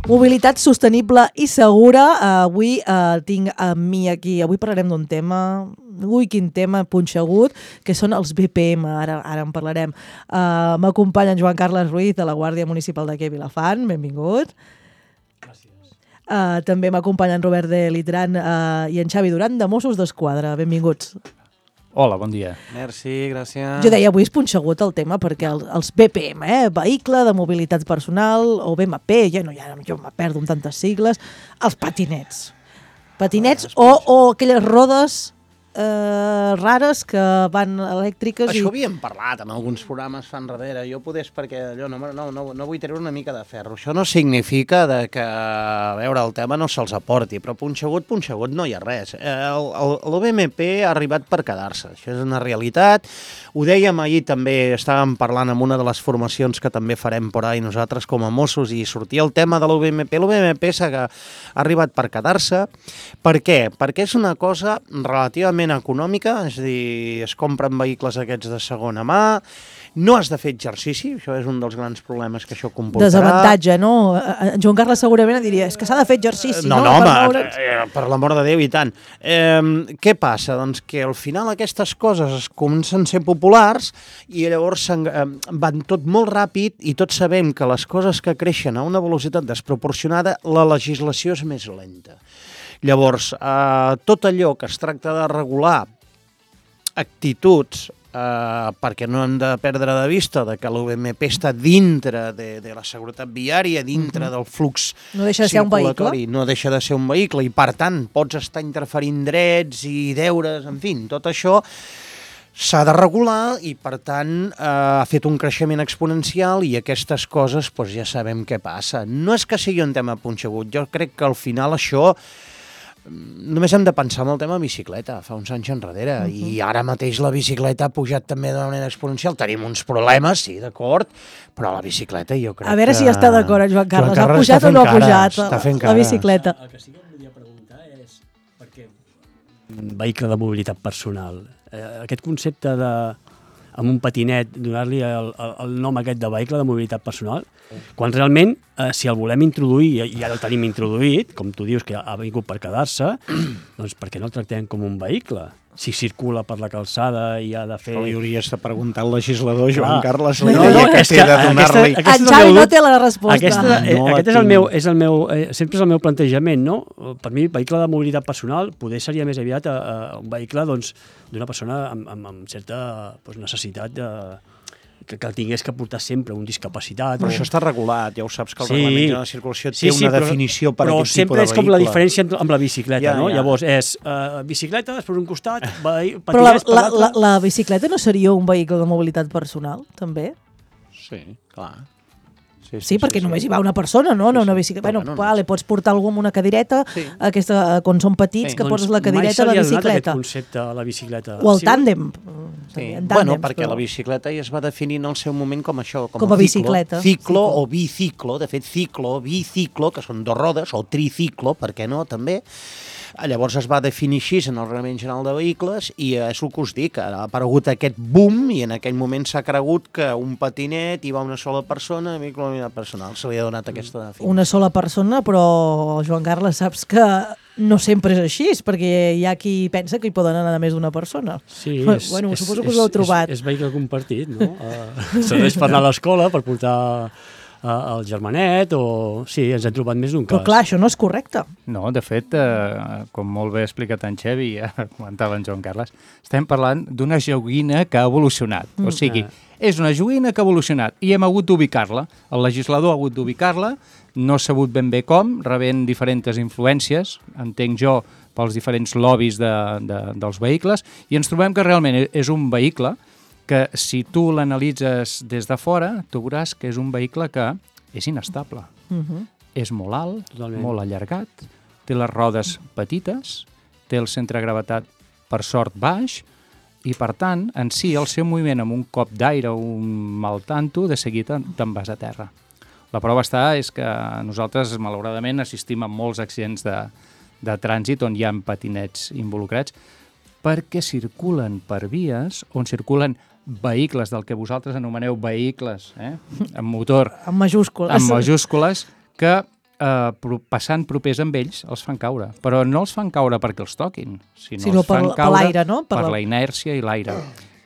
Mobilitat sostenible i segura. Avui tinc amb mi aquí, avui parlarem d'un tema, quin tema punxegut, que són els BPM, ara en parlarem. M'acompanya en Joan Carles Ruiz, de la Guàrdia Municipal d'aquí a Vilafant, benvingut. Gràcies. També m'acompanya en Robert de Litran i en Xavi Duran, de Mossos d'Esquadra, benvinguts. Hola, bon dia. Merci, gràcies. Jo deia, avui és punxegut el tema perquè els BPM, vehicle de mobilitat personal, o BMP, jo me perdo amb tantes sigles, els patinets. Patinets o aquelles rodes rares que van elèctriques. Això ho havíem parlat en alguns programes fa enrere. Jo podés perquè allò no vull treure una mica de ferro. Això no significa que, a veure, el tema no se'ls aporti, però punxegut no hi ha res. L'OBMP ha arribat per quedar-se. Això és una realitat. Ho dèiem ahir també, estàvem parlant amb una de les formacions que també farem por ahí nosaltres com a Mossos i sortia el tema de l'OBMP. L'OBMP ha arribat per quedar-se. Per què? Perquè és una cosa relativament econòmica, és a dir, es compren vehicles aquests de segona mà, no has de fer exercici, això és un dels grans problemes que això comportarà. Desavantatge, no? En Joan Carles segurament diria, és que s'ha de fer exercici, no? Home, per l'amor de Déu, i tant. Què passa? Doncs que al final aquestes coses comencen a ser populars i llavors van tot molt ràpid i tots sabem que les coses que creixen a una velocitat desproporcionada, la legislació és més lenta. Llavors, tot allò que es tracta de regular actituds, perquè no hem de perdre de vista que l'OBMP està dintre de la seguretat viària, dintre del flux no deixa de ser un vehicle. No deixa de ser un vehicle i, per tant, pots estar interferint drets i deures, en fi, tot això s'ha de regular i, per tant, ha fet un creixement exponencial i aquestes coses ja sabem què passa. No és que sigui un tema punxegut, jo crec que al final això només hem de pensar en el tema bicicleta, fa uns anys enrere, i ara mateix la bicicleta ha pujat també de manera exponencial. Tenim uns problemes, sí, d'acord, però la bicicleta jo crec que... A veure si està d'acord en Joan Carles. Ha pujat o no ha pujat la bicicleta? El que sí que volia preguntar és per què un vehicle de mobilitat personal, aquest concepte de amb un patinet, donar-li el nom aquest de vehicle de mobilitat personal, quan realment, si el volem introduir, i ja el tenim introduït, com tu dius que ha vingut per quedar-se, doncs per què no el tractem com un vehicle? Si circula per la calçada i ha de fer... Però li hauries de preguntar al legislador, Joan Carles, En Xavi no té la resposta. Aquest és el meu, sempre és el meu plantejament, no? Per mi, vehicle de mobilitat personal poder seria més aviat un vehicle d'una persona amb certa necessitat que el tingués que portar sempre un discapacitat. Però això està regulat, ja ho saps que el reglament de la circulació té una definició per aquest tipus de vehicle. Però sempre és com la diferència amb la bicicleta, no? Llavors és bicicleta, després un costat, patinets... Però la bicicleta no seria un vehicle de mobilitat personal, també? Sí, clar. Sí, perquè només hi va una persona, no? Una bicicleta. Bueno, pots portar algú amb una cadireta, quan són petits, que poses la cadireta a la bicicleta. Mai se li ha donat aquest concepte a la bicicleta. O el tàndem. Bueno, perquè la bicicleta ja es va definir en el seu moment com això, com a bicicleta. Ciclo o biciclo, de fet ciclo, biciclo, que són dos rodes, o triciclo, per què no, també. Llavors es va definir així en el Reglament General de Vehicles i és el que us dic, ha aparegut aquest boom i en aquell moment s'ha cregut que un patinet hi va una sola persona, a mi com a personal se li ha donat aquesta definició. Una sola persona, però Joan Carles, saps que no sempre és així, perquè hi ha qui pensa que hi poden anar més d'una persona. Sí, bueno, suposo que us ho heu trobat. És vehicle compartit, no? Serveix per anar a l'escola, per portar el germanet, o... Sí, ens hem trobat més d'un cas. Però clar, això no és correcte. No, de fet, com molt bé ha explicat en Xavi, ja comentava en Joan Carles, estem parlant d'una joguina que ha evolucionat. O sigui, és una joguina que ha evolucionat i hem hagut d'ubicar-la. El legislador ha hagut d'ubicar-la, no ha sabut ben bé com, rebent diferents influències, entenc jo, pels diferents lobbies dels vehicles, i ens trobem que realment és un vehicle que si tu l'analitzes des de fora, tu veuràs que és un vehicle que és inestable. És molt alt, totalment, molt allargat, té les rodes petites, té el centre de gravetat, per sort, baix, i per tant, en si, el seu moviment amb un cop d'aire o un mal tanto, de seguida te'n vas a terra. La prova és que nosaltres, malauradament, assistim a molts accidents de trànsit on hi ha patinets involucrats, perquè circulen per vies on circulen vehicles del que vosaltres anomeneu vehicles, amb motor... Amb majúscules. Amb majúscules, que passant propers amb ells, els fan caure. Però no els fan caure perquè els toquin, sinó els per fan caure l'aire, no? per la inèrcia i l'aire.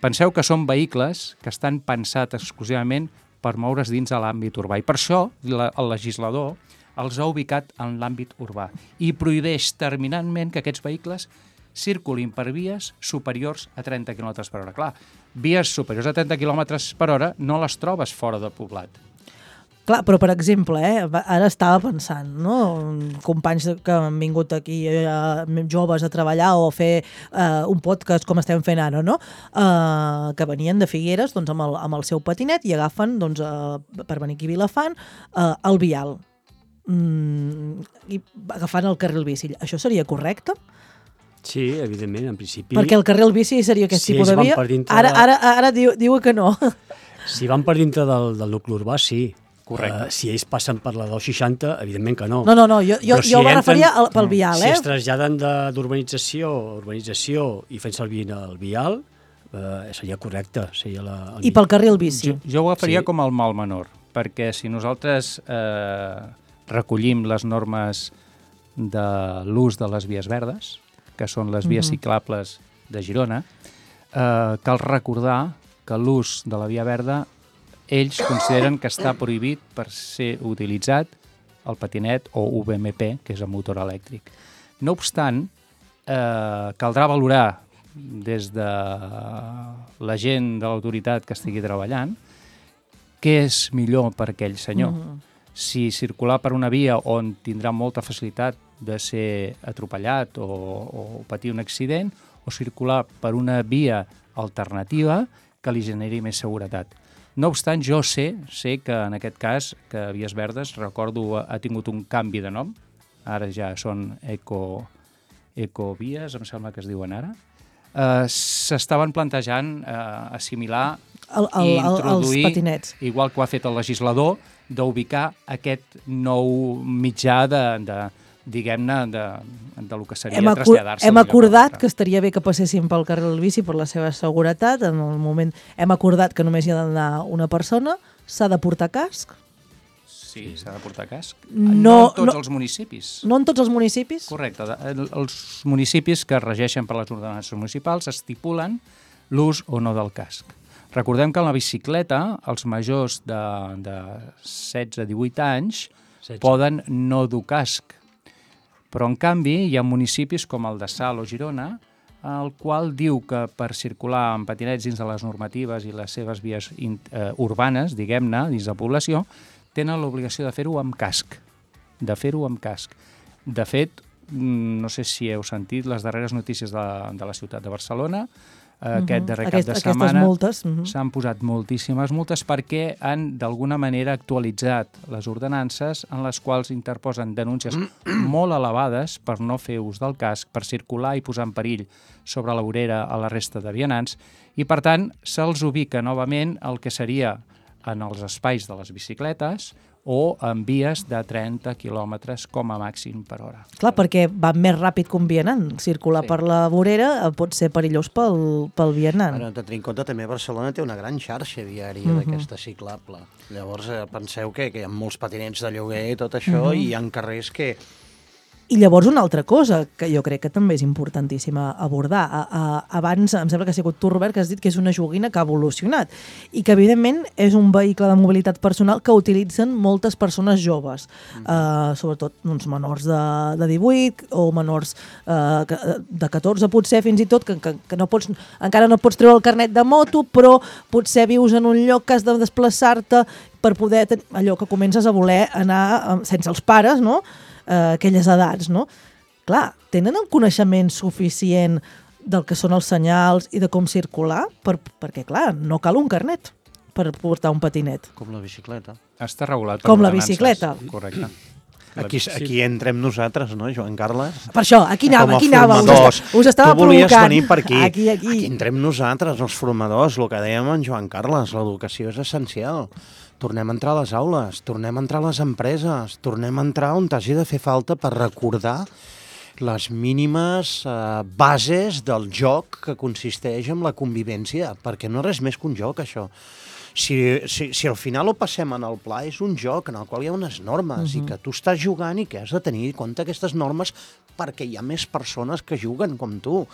Penseu que són vehicles que estan pensats exclusivament per moure's dins de l'àmbit urbà. I per això el legislador els ha ubicat en l'àmbit urbà i prohibeix terminantment que aquests vehicles circulin per vies superiors a 30 km per hora. Clar, vies superiors a 30 km per hora no les trobes fora de poblat. Clar, però per exemple, ara estava pensant, no? Companys que han vingut aquí joves a treballar o a fer un podcast com estem fent ara, no? Que venien de Figueres doncs, amb el seu patinet i agafen, doncs, per venir aquí a Vilafant, el vial. I agafant el carril bici. Això seria correcte? Sí, evidentment, en principi... Perquè el carril bici seria aquest tipus de via? Dintre... Ara diu que no. Si van per dintre del nucli urbà, sí. Correcte. Si ells passen per la 260, evidentment que no. No, jo me referia pel vial, Si es traslladen d'urbanització a urbanització i fent servir el vial, seria correcte. I pel carril bici? Jo ho agafaria com el mal menor, perquè si nosaltres recollim les normes de l'ús de les vies verdes, que són les vies ciclables de Girona, cal recordar que l'ús de la via verda ells consideren que està prohibit per ser utilitzat el patinet o UVMP, que és el motor elèctric. No obstant, caldrà valorar des de la gent de l'autoritat que estigui treballant què és millor per aquell senyor. Si circular per una via on tindrà molta facilitat de ser atropellat o patir un accident, o circular per una via alternativa que li generi més seguretat. No obstant, jo sé que en aquest cas, que Vies Verdes, recordo, ha tingut un canvi de nom, ara ja són Ecovies, em sembla que es diuen ara, s'estaven plantejant assimilar i introduir, els patinets, igual que ho ha fet el legislador, d'ubicar aquest nou mitjà diguem-ne, de lo que seria traslladar-se. Hem acordat que estaria bé que passessin pel carril bici per la seva seguretat. En el moment hem acordat que només hi ha d'anar una persona, s'ha de portar casc. Sí, s'ha de portar casc. No en tots els municipis. No en tots els municipis? Correcte. Els municipis que es regeixen per les ordenances municipals estipulen l'ús o no del casc. Recordem que en la bicicleta els majors de 16-18 anys poden no dur casc. Però, en canvi, hi ha municipis com el de Salt o Girona, el qual diu que per circular amb patinets dins de les normatives i les seves vies urbanes, diguem-ne, dins de població, tenen l'obligació de fer-ho amb casc. De fet, no sé si heu sentit les darreres notícies de la ciutat de Barcelona, aquest darrer cap de setmana s'han posat moltíssimes multes perquè han d'alguna manera actualitzat les ordenances en les quals interposen denúncies molt elevades per no fer ús del casc, per circular i posar en perill sobre la vorera a la resta de vianants i per tant se'ls ubica novament el que seria en els espais de les bicicletes o en vies de 30 quilòmetres com a màxim per hora. Clar, perquè va més ràpid que un vianant. Circular per la vorera pot ser perillós pel vianant. Bueno, de tenir en compte, també Barcelona té una gran xarxa viària d'aquesta ciclable. Llavors, penseu que hi ha molts patinets de lloguer i tot això, i hi ha carrers que... I llavors una altra cosa que jo crec que també és importantíssima abordar. Abans, em sembla que ha sigut tu, Robert, que has dit que és una joguina que ha evolucionat i que, evidentment, és un vehicle de mobilitat personal que utilitzen moltes persones joves, sobretot menors de 18 o menors de 14, potser, fins i tot, que encara no pots treure el carnet de moto, però potser vius en un lloc que has de desplaçar-te per poder... Allò que comences a voler anar sense els pares, no?, aquelles edats, no? Clar, tenen el coneixement suficient del que són els senyals i de com circular? Perquè, clar, no cal un carnet per portar un patinet. Com la bicicleta. Està regulat per com la ordenances. Bicicleta. Correcte. Aquí entrem nosaltres, no, Joan Carles? Per això, aquí anava. Us estava provocant. Tu volies venir per aquí. Aquí entrem nosaltres, els formadors, el que dèiem en Joan Carles, l'educació és essencial. Tornem a entrar a les aules, tornem a entrar a les empreses, tornem a entrar on t'hagi de fer falta per recordar les mínimes bases del joc que consisteix en la convivència, perquè no és res més que un joc, això. Si al final ho passem en el pla, és un joc en el qual hi ha unes normes i que tu estàs jugant i que has de tenir en compte aquestes normes perquè hi ha més persones que juguen com tu.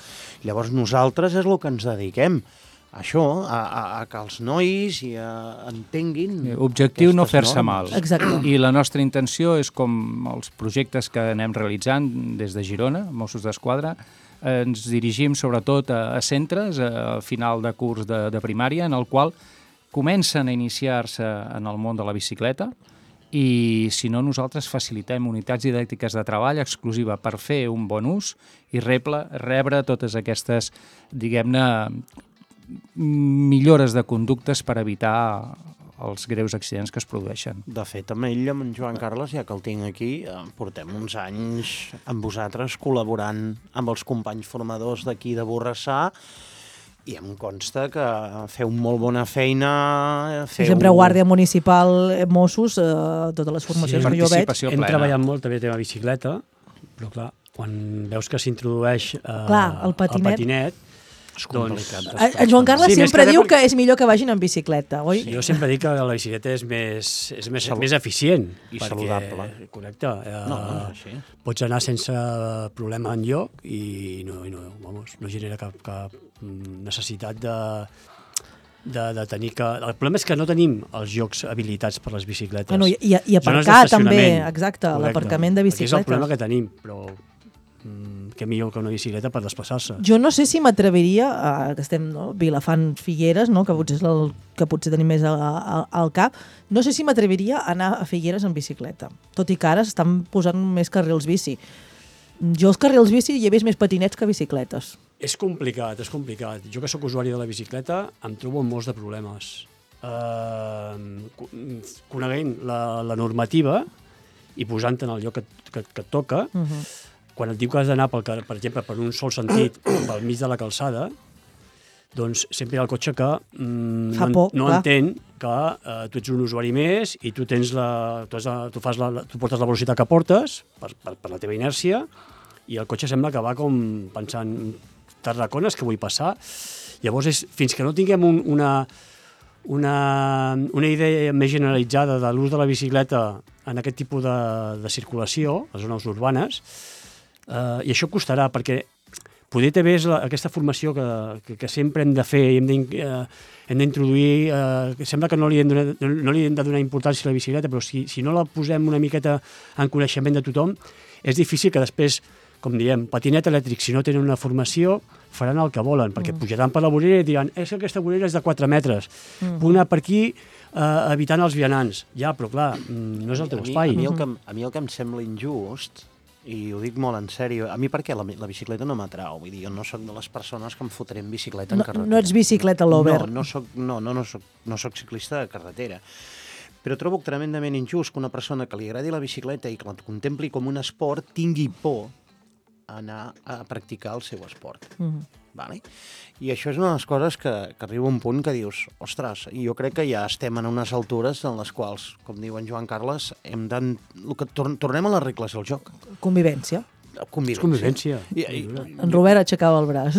Llavors nosaltres és el que ens dediquem. Això, a que els nois entenguin... Objectiu no fer-se mal. Exacte. I la nostra intenció és, com els projectes que anem realitzant des de Girona, Mossos d'Esquadra, ens dirigim sobretot a centres al final de curs de primària, en el qual comencen a iniciar-se en el món de la bicicleta i, si no, nosaltres facilitem unitats didàctiques de treball exclusiva per fer un bon ús i rebre totes aquestes, diguem-ne, millores de conductes per evitar els greus accidents que es produeixen. De fet, amb ell, amb en Joan Carles, ja que el tinc aquí, portem uns anys amb vosaltres col·laborant amb els companys formadors d'aquí de Borrassà i em consta que feu molt bona feina. Sempre Guàrdia Municipal, Mossos, totes les formacions que jo veig. Hem treballat molt també el tema bicicleta, però clar, quan veus que s'introdueix el patinet, és complicat. En Joan Carles sempre diu que és millor que vagin en bicicleta, oi? Jo sempre dic que la bicicleta és més eficient. I saludable. Correcte. És així. Pots anar sense problema enlloc i no genera cap necessitat de tenir que... El problema és que no tenim els llocs habilitats per les bicicletes. I aparcar també, exacte, l'aparcament de bicicletes. Aquest és el problema que tenim, però que millor que una bicicleta per desplaçar-se. Jo no sé si m'atreviria, que estem Vilafant Figueres, que potser és el que potser tenim més al cap, no sé si m'atreviria a anar a Figueres en bicicleta, tot i que ara s'estan posant més carrils bici. Jo els carrils bici hi he vist més patinets que bicicletes. És complicat. Jo que sóc usuari de la bicicleta em trobo amb molts de problemes. Coneguent la normativa i posant-te en el lloc que et toca, quan et diu que has d'anar, per exemple, per un sol sentit, pel mig de la calçada, doncs sempre hi ha el cotxe que no entén que tu ets un usuari més i tu portes la velocitat que portes per la teva inèrcia i el cotxe sembla que va com pensant Tarracones que vull passar. Llavors, fins que no tinguem una idea més generalitzada de l'ús de la bicicleta en aquest tipus de circulació, a les zones urbanes, i això costarà, perquè poder també és aquesta formació que sempre hem de fer i hem d'introduir, sembla que no li hem de donar importància a la bicicleta, però si no la posem una miqueta en coneixement de tothom, és difícil que després, com diem, patinet elèctric, si no tenen una formació, faran el que volen, perquè pujaran per la vorera i diran és que aquesta vorera és de 4 metres, puc anar per aquí evitant els vianants. Ja, però clar, no és el teu espai. A mi el que em sembla injust, i ho dic molt en sèrio, a mi perquè la bicicleta no m'atrau, vull dir, jo no sóc de les persones que em fotré en bicicleta en carretera. No ets bicicleta lover. No soc ciclista de carretera. Però trobo tremendament injust que una persona que li agradi la bicicleta i que la contempli com un esport tingui por a anar a practicar el seu esport. Vale? I això és una de les coses que arriba a un punt que dius, ostres, jo crec que ja estem en unes altures en les quals, com diu en Joan Carles, tornem a les regles del joc. Convivència. Convivència. En Robert aixecava el braç.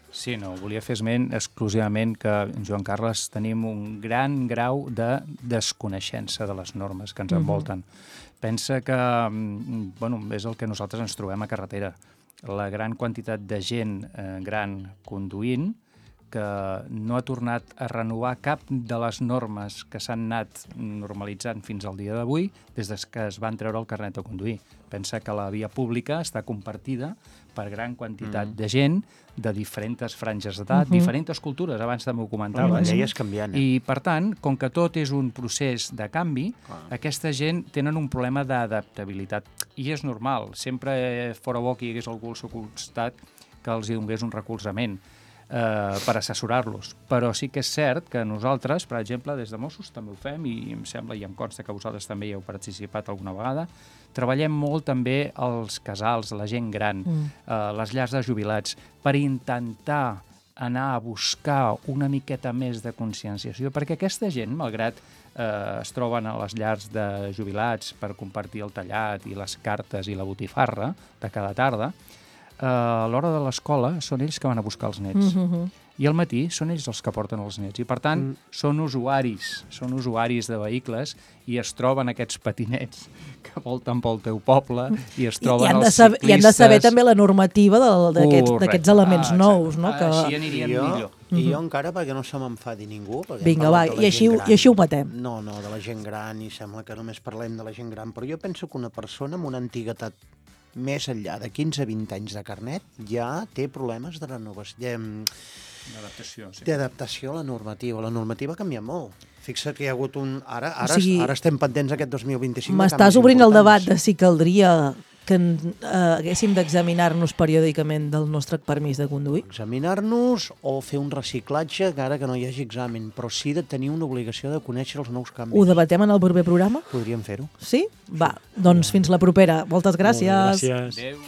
Sí, no, volia fer esment exclusivament que en Joan Carles tenim un gran grau de desconeixença de les normes que ens envolten. Pensa que és el que nosaltres ens trobem a carretera. La gran quantitat de gent gran conduint que no ha tornat a renovar cap de les normes que s'han anat normalitzant fins al dia d'avui des que es van treure el carnet de conduir. Pensa que la via pública està compartida per gran quantitat de gent de diferents franges d'edat, diferents cultures, abans també ho comentaves. La llei és canviant. I, per tant, com que tot és un procés de canvi, aquesta gent tenen un problema d'adaptabilitat. I és normal. Sempre fora bo que hi hagués algú al seu costat que els hi donés un recolzament per assessorar-los. Però sí que és cert que nosaltres, per exemple, des de Mossos també ho fem, i em sembla, i em consta que vosaltres també hi heu participat alguna vegada, treballem molt també els casals, la gent gran, les llars de jubilats, per intentar anar a buscar una miqueta més de conscienciació, perquè aquesta gent, malgrat es troben a les llars de jubilats per compartir el tallat i les cartes i la botifarra de cada tarda, a l'hora de l'escola són ells que van a buscar els nets. i al matí són ells els que porten els nets. I, per tant, són usuaris de vehicles i es troben aquests patinets que volten pel teu poble i es troben els ciclistes... I han de saber també la normativa d'aquests elements nous, no? Així anirien millor. I jo encara, perquè no se m'enfadi ningú... Vinga, va, i així ho matem. No, de la gent gran, i sembla que només parlem de la gent gran, però jo penso que una persona amb una antiguitat més enllà de 15-20 anys de carnet ja té problemes de renovació, d'adaptació a la normativa. La normativa ha canviat molt. Fixa't que hi ha hagut Ara estem pendents aquest 2025. M'estàs obrint el debat de si caldria que haguéssim d'examinar-nos periòdicament del nostre permís de conduir? Examinar-nos o fer un reciclatge, encara que no hi hagi examen, però sí de tenir una obligació de conèixer els nous canvis. Ho debatem en el proper programa? Podríem fer-ho. Sí? Va, doncs fins la propera. Moltes gràcies. Gràcies. Adéu.